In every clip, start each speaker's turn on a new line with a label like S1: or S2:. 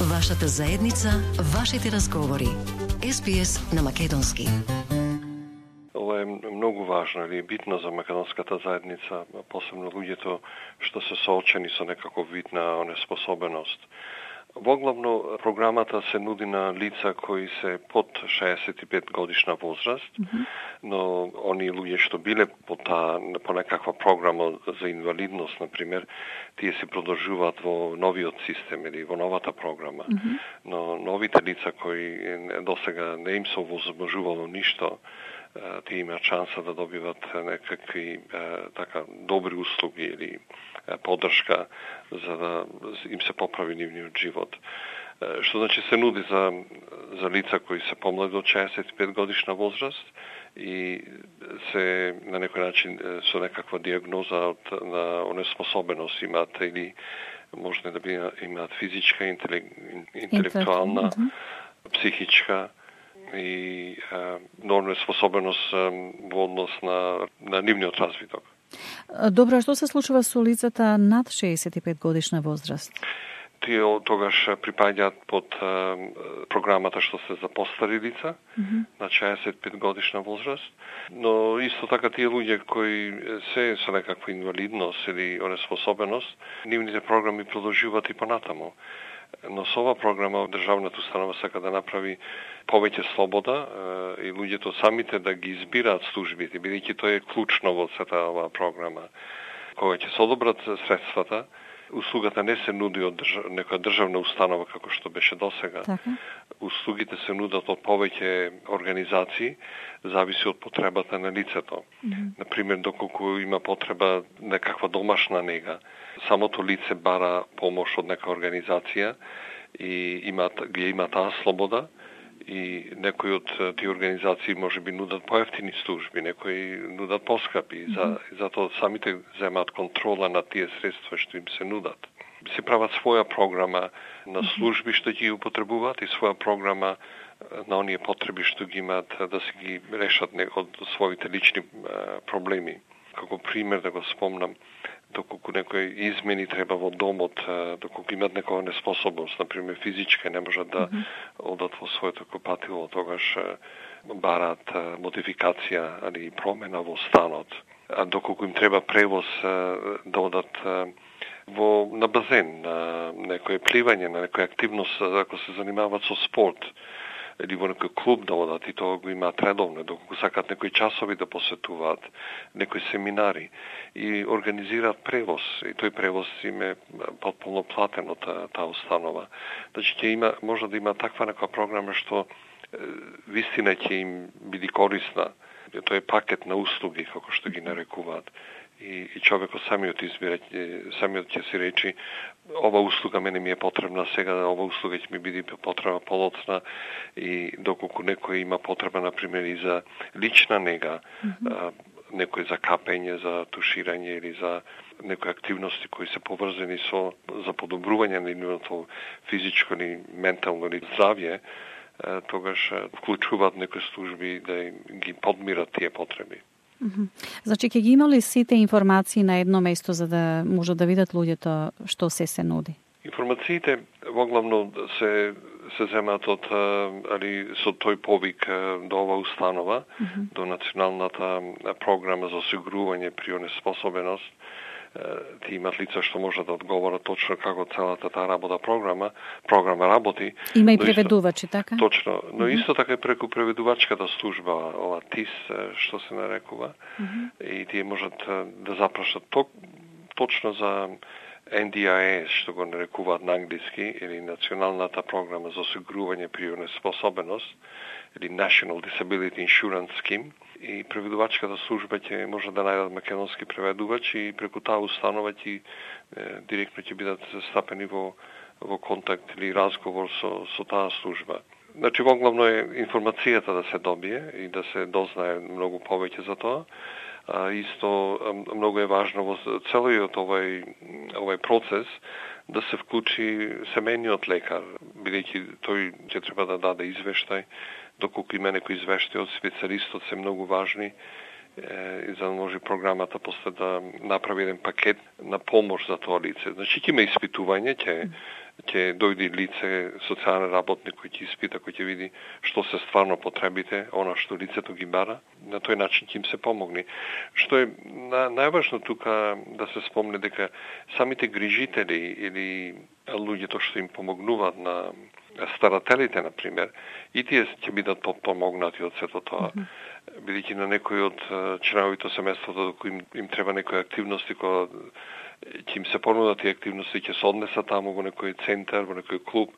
S1: Вашата заедница, вашите разговори. SPS на македонски.
S2: Ова е многу важно или битно за македонската заедница, посебно луѓето што се соочени со некаков вид на неспособеност. Воглавно програмата се нуди на лица кои се под 65 годишна возраст, но они луѓе што биле по некаква програма за инвалидност, например, тие се продолжуваат во новиот систем или во новата програма. Но новите лица кои досега не им се возможувало ништо, тие имаат шанса да добиват некакви така добри услуги или поддршка за да им се поправи нивниот живот. Што значи се нуди за лица кои се помлади од 65 годишна возраст и се на некој начин со некаква диагноза на онеспособеност имаат или може да имаат физичка, интелектуална, психичка и неспособеност во однос на нивниот развиток.
S3: Добро, а што се случува со лицата над 65 годишна возраст?
S2: Тие тогаш припаѓаат под програмата што се за постари лица на 65 годишна возраст, но исто така тие луѓе кои се со некаква инвалидност или онеспособеност, нивните програми продолжуваат и понатаму. Но со ова програма државната установа сака да направи повеќе слобода и луѓето самите да ги избираат службите, бидејќи тоа е клучно во сета оваа програма. Кога ќе се одобрат средствата, услугата не се нуди од некоја државна установа како што беше досега. Услугите се нудат од повеќе организации, зависи од потребата на лицето. Например, доколку има потреба некаква домашна нега, самото лице бара помош од нека организација и има таа слобода и некои од тие организации може би нудат поевтини служби, некои нудат поскапи, затоа самите земаат контрола на тие средства што им се нудат. Се прават своја програма на служби што ги употребуваат и своја програма на оние потреби што ги имаат да се ги решат од своите лични проблеми. Како пример да го спомнам, доколку некои измени треба во домот, доколку имат некоја неспособност, например физичка, не можат да одат во своето купатило, тогаш бараат модификација или промена во станот. А доколку им треба превоз да одат на базен, на некој пливање, на некоја активност, ако се занимаваат со спорт, или во некој клуб да одат и тоа го имаат редовно, доколку сакат некои часови да посетуваат, некои семинари и организираат превоз. И тој превоз им е потполно платен од таа установа. Значи може да има таква некоја програма што вистина ќе им биде корисна. Тоа е пакет на услуги, како што ги нарекуваат. И човекот самиот избира, самиот ќе си речи ова услуга мене ми е потребна сега, ова услуга ќе ми биде потребна подоцна и доколку некој има потреба, например, и за лична нега, некој за капење, за туширање или за некои активности кои се поврзани за подобрување на нивното физичко или ментално или здравје, тогаш вклучуваат некои служби да ги подмират тие потреби.
S3: Значи, ќе ги имали сите информации на едно место за да можат да видат луѓето што се нуди? Информациите
S2: воглавно се земаат со тој повик до ова установа, до националната програма за осигурување при онеспособеност. Ти имат лица што можат да одговорат точно како целата таа програма работи.
S3: Има и преведувачи, така?
S2: Точно, но исто така и преку преведувачката служба, ова ТИС, што се нарекува, и тие можат да запрашат точно за NDIS, што го нарекуваат на англиски, или Националната програма за осигурување при онеспособеност, или National Disability Insurance Scheme, и преведувачката служба ќе може да најдат македонски преведувач и преку таа установа директно ќе бидат стапени во контакт или разговор со таа служба. Значи, воглавно е информацијата да се добие и да се дознае многу повеќе за тоа. Исто многу е важно во целиот овој процес да се вклучи семејниот лекар, бидејќи тој ќе треба да даде извештај, доколку има некои извештаи од специјалистот се многу важни и за да може програмата после да направи еден пакет на помош за тоа лице. Значи ќе има испитување, ќе ќе дојде лице, социјален работник кој ќе испита, кој ќе види што се стварно потребите, она што лицето ги бара, на тој начин ќе им се помогне. Што е најважно тука да се спомне дека самите грижители или луѓето што им помогнуваат на старателите, например, и тие ќе бидат помогнати од сето тоа. Бидејќи на некои од членовите семејството кои им треба некои активности, кои ќе им се понудат и активности, ќе се однесат таму во некој центар, во некој клуб.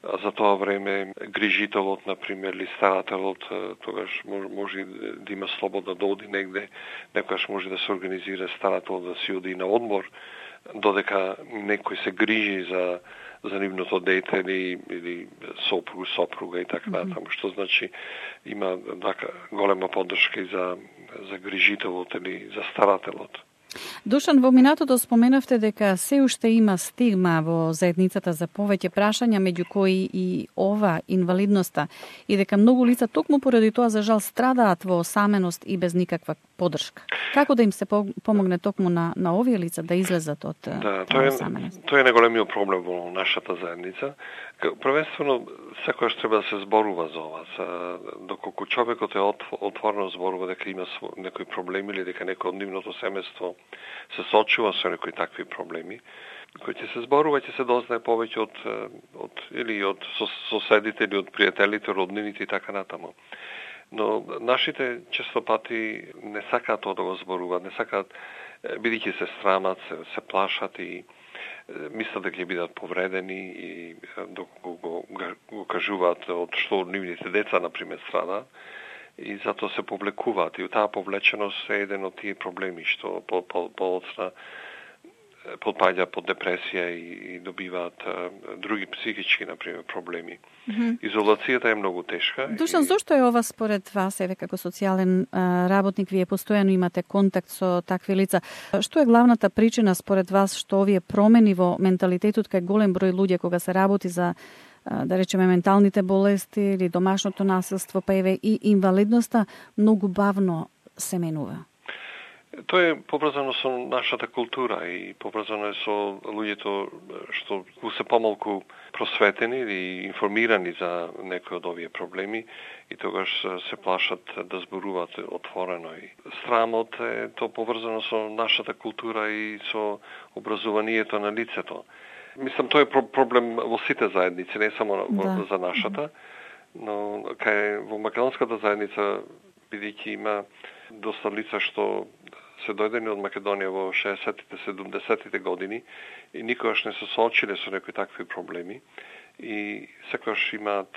S2: А за тоа време грижителот, например, или старателот, тогаш може да има слобода да оди негде, некогаш може да се организира старателот да си оди на одмор, додека некој се грижи за нивното дете или сопруга и така натаму, што значи има голема поддршка и за грижителот или за старателот.
S3: Душан, во минатото споменавте дека се уште има стигма во заедницата за повеќе прашања, меѓу кои и ова инвалидноста, и дека многу лица токму поради тоа за жал страдаат во осаменост и без никаква поддршка. Како да им се помогне токму на овие лица да излезат од осаменост?
S2: Тоа е најголемиот проблем во нашата заедница. Првенствено, секојаш треба да се зборува за ова. Доколку човекот е отворено зборува дека има некои проблеми или дека некој од нивното семејство се соочува со некои такви проблеми, кој ќе се зборува, ќе се дознае повеќе од соседите или од пријателите, роднините и така натаму. Но нашите често пати не сакаат тоа да го зборуваат, не сакаат, бидејќи се срамат, се плашат и мислат дека ќе бидат повредени и доколку го кажуваат од што нивните деца, например, страдаат, и затоа се повлекуваат. И таа повлеченост е еден од тие проблеми што подоцна подпаѓа под депресија и добиваат други психички, например, проблеми. Изолацијата е многу тешка.
S3: Душан, зошто е ова според вас, еве како социјален работник, вие постојано имате контакт со такви лица? Што е главната причина според вас што овие промени во менталитетот кај голем број луѓе кога се работи за да речеме менталните болести или домашното насилство, па еве и инвалидноста, многу бавно се менува?
S2: Тоа е поврзано со нашата култура и поврзано е со луѓето што се помалку просветени или информирани за некои од овие проблеми и тогаш се плашат да зборуваат отворено. И срамот е тоа поврзано со нашата култура и со образованието на лицето. Мислам, тоа е проблем во сите заедници, не само за нашата, но во македонската заедница, бидејќи има доста лица што се дојдени од Македонија во 60-тите, 70-тите години и никогаш не се соочиле со некои такви проблеми и секогаш имаат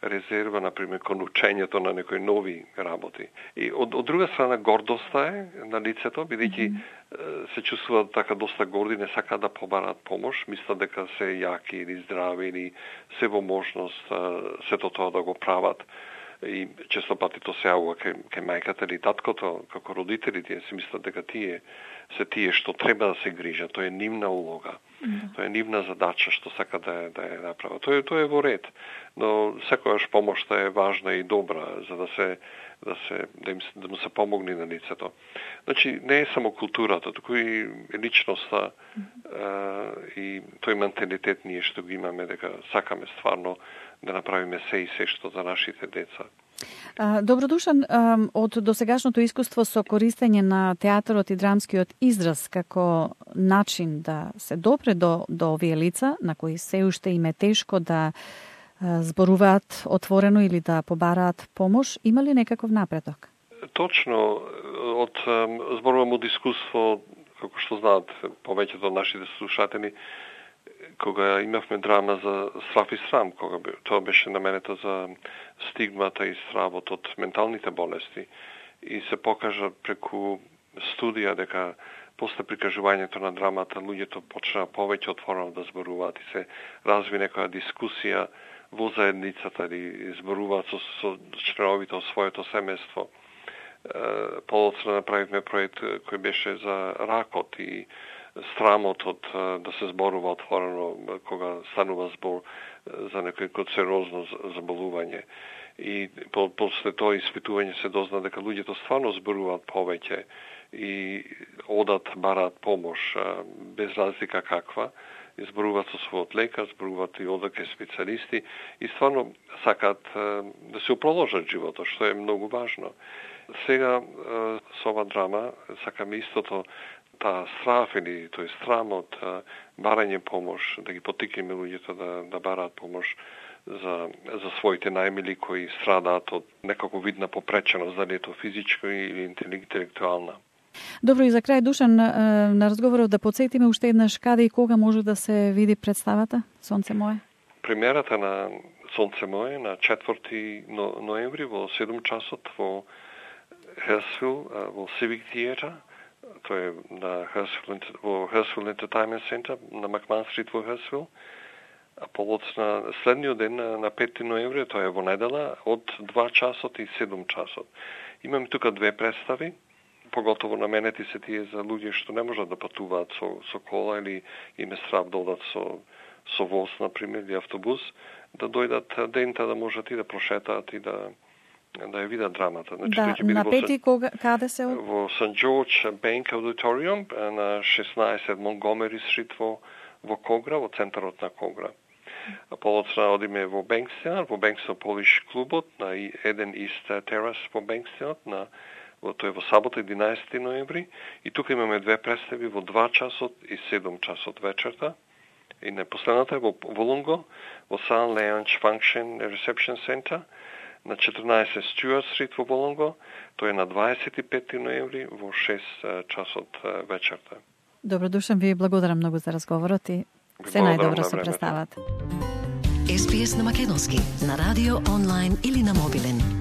S2: резерва, например, кон учењето на некои нови работи. И од друга страна гордоста е на лицето, бидејќи се чувствуваат така доста горди, не сакаат да побараат помош, мислат дека се јаки или здрави или се во можност сето тоа да го прават. И често пати тоа се јавува кај мајката или таткото, како родители, тие си мислат дека тие што треба да се грижат, тоа е нивна улога. Тоа е нивна задача што сака да ја направат. Тоа е во ред, но секогаш помошта е важна и добра за да му се помогне на лицето. Значи не е само културата, туку и личноста и тој менталитет ние што го имаме дека сакаме стварно да направиме се и се што за нашите деца.
S3: Добродушан, од досегашното искуство со користење на театарот и драмскиот израз како начин да се допре до овие лица, на кои се уште им е тешко да зборуваат отворено или да побараат помош, има ли некаков напредок?
S2: Точно, зборувам од искуство, како што знаат повеќето од нашите слушатели, кога имавме драма за страв и срам, кога тоа беше наменето за стигмата и стравот од менталните болести и се покажа преку студија дека после прикажувањето на драмата луѓето почнаа повеќе отворено да зборуваат и се разви некоја дискусија во заедницата или зборуваат со членовите од своето семејство. Подоцна направивме проект кој беше за ракот и страмот од да се зборува отворено кога станува збор за некој канцерозно заболување. И после тоа испитување се дозна дека луѓето стварно зборуваат повеќе и одат, бараат помош без разлика каква зборуваат со својот лекар, зборуваат и одат кај специјалисти и стварно сакаат да се продолжат животот, што е многу важно. Сега со ова драма сакаме истото, таа страф или тој страмот, барање помош, да ги поттикнеме луѓето да бараат помош за своите најмили кои страдаат од некако видна попреченост, дали е то физичко или интелектуална.
S3: Добро, и за крај, Душан, на разговорот да подсетиме уште еднаш каде и кога може да се види представата Сонце мое?
S2: Премиерата на Сонце мое на 4 ноември во 7 часот во Hurstville, во Civic Theatre. Тоа е на Hurstville Entertainment Center на Макман Стрит во Hurstville. А полоцна следниот ден на 5 ноември, тоа е во недела, од 2 часот и 7 часот. Имаме тука две представи, поготово наменети се тие за луѓе што не можат да патуваат со кола или им е страв да одат со воз, например, или автобус, да дојдат дента да можат и да прошетаат и да ја видат драмата.
S3: Значи, да, на пети каде се?
S2: Во St. George Bank Auditorium на 16 Montgomery Street во Когра, во центарот на Когра. А полоцна одиме во Бенкстон Polish клубот на 1 East Terrace во Бенкстонот тој во сабота 11 ноември и тука имаме две представи во 2 часот и 7 часот вечерта. И на последната е во Волонго, во Sun Lounge Function Reception Center на 14 Stewart Street во Волонго. Тоа е на 25 ноември во 6 часот вечерта.
S3: Добро, Душан, ви благодарам многу за разговорот и се најдобро со представата.
S1: SBS на македонски, на радио, онлайн или на мобилен.